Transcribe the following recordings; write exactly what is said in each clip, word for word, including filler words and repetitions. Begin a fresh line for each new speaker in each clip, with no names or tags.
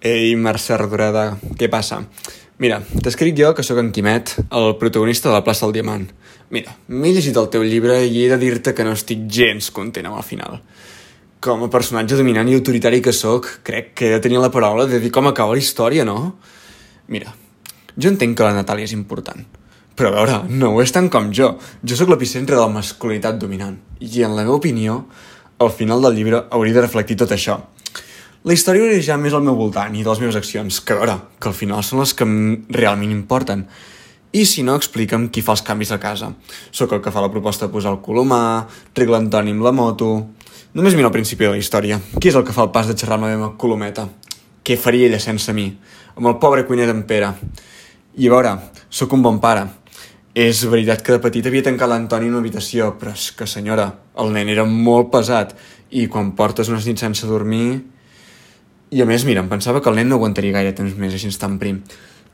Ei, Mercè Rodoreda, què passa? Mira, t'escric jo, que sóc en Quimet, el protagonista de la plaça del Diamant. Mira, m'he llegit el teu llibre i he de dir-te que no estic gens content amb el final. Com a personatge dominant i autoritari que sóc, crec que he de tenir la paraula de dir com acaba la història, no? Mira, jo entenc que la Natàlia és important, però a veure, no ho és tant com jo. Jo sóc l'epicentre de la masculinitat dominant, i en la meva opinió, el final del llibre hauria de reflectir tot això. La història hauria ja més al meu voltant i de les meves accions, que a veure, que al final són les que realment importen. I si no, explica'm qui fa els canvis a casa. Sóc el que fa la proposta de posar el colomar, regla l'Antoni amb la moto... Només mira al principi de la història. Qui és el que fa el pas de xerrar amb la meva colometa? Què faria ella sense mi? Amb el pobre cuiner d'en Pere. I a veure, sóc un bon pare. És veritat que de petit havia tancat l'Antoni en una habitació, però és que, senyora, el nen era molt pesat i quan portes unes nits sense dormir... I a més, mira, em pensava que el nen no aguantaria gaire temps més així tan prim.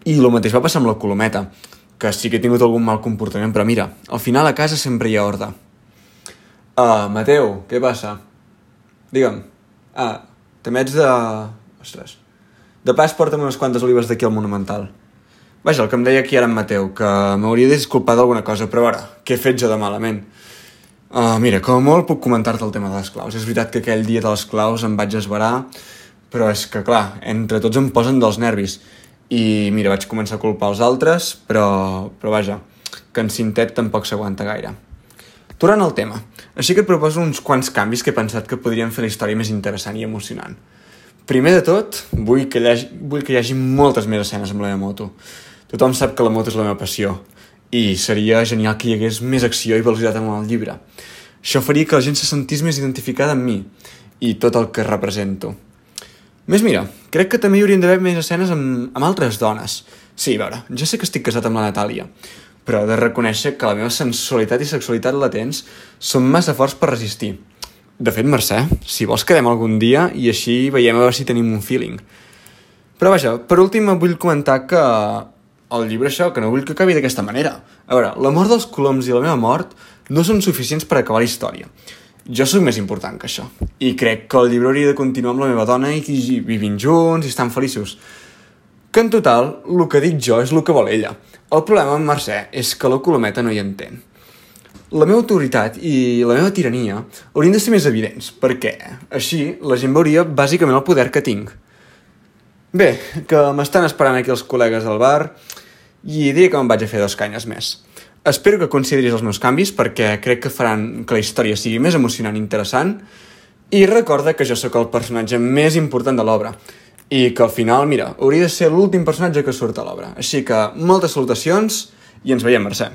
I el mateix va passar amb la colometa, que sí que he tingut algun mal comportament, però mira, al final a casa sempre hi ha ordre. Ah, Mateu, què passa? Digue'm. Ah, també ets de... Ostres. De pas porta'm unes quantes olives d'aquí al Monumental. Vaja, el que em deia aquí ara en Mateu, que m'hauria de disculpar d'alguna cosa, però ara, què he fet jo de malament? Ah, mira, com a molt puc comentar-te el tema de les claus. És veritat que aquell dia de les claus em vaig esverar, però és que, clar, entre tots em posen dels nervis. I, mira, vaig començar a culpar els altres, però, però vaja, que en Cintet tampoc s'aguanta gaire. Tornant al tema, així que et proposo uns quants canvis que he pensat que podrien fer la història més interessant i emocionant. Primer de tot, vull que hi hagi, vull que hi hagi moltes més escenes amb la meva moto. Tothom sap que la moto és la meva passió, i seria genial que hi hagués més acció i velocitat en el llibre. Això faria que la gent se sentís més identificada amb mi, i tot el que represento. Més mira, crec que també hi haurien d'haver més escenes amb, amb altres dones. Sí, a veure, ja sé que estic casat amb la Natàlia, però he de reconèixer que la meva sensualitat i sexualitat latents són massa forts per resistir. De fet, Mercè, si vols quedem algun dia i així veiem a veure si tenim un feeling. Però vaja, per últim vull comentar que el llibre això, que no vull que acabi d'aquesta manera. A veure, la mort dels coloms i la meva mort no són suficients per acabar la història. Jo sóc més important que això. I crec que el llibre hauria de continuar amb la meva dona i que vivint junts i estan feliços. Que en total, el que dic jo és el que vol ella. El problema amb Mercè és que la colometa no hi entén. La meva autoritat i la meva tirania haurien de ser més evidents, perquè així la gent veuria bàsicament el poder que tinc. Bé, que m'estan esperant aquí els col·legues del bar i diria que me'n vaig a fer dos canyes més. Espero que consideris els meus canvis perquè crec que faran que la història sigui més emocionant i interessant i recorda que jo sóc el personatge més important de l'obra i que al final, mira, hauria de ser l'últim personatge que surt a l'obra. Així que moltes salutacions i ens veiem, Mercè.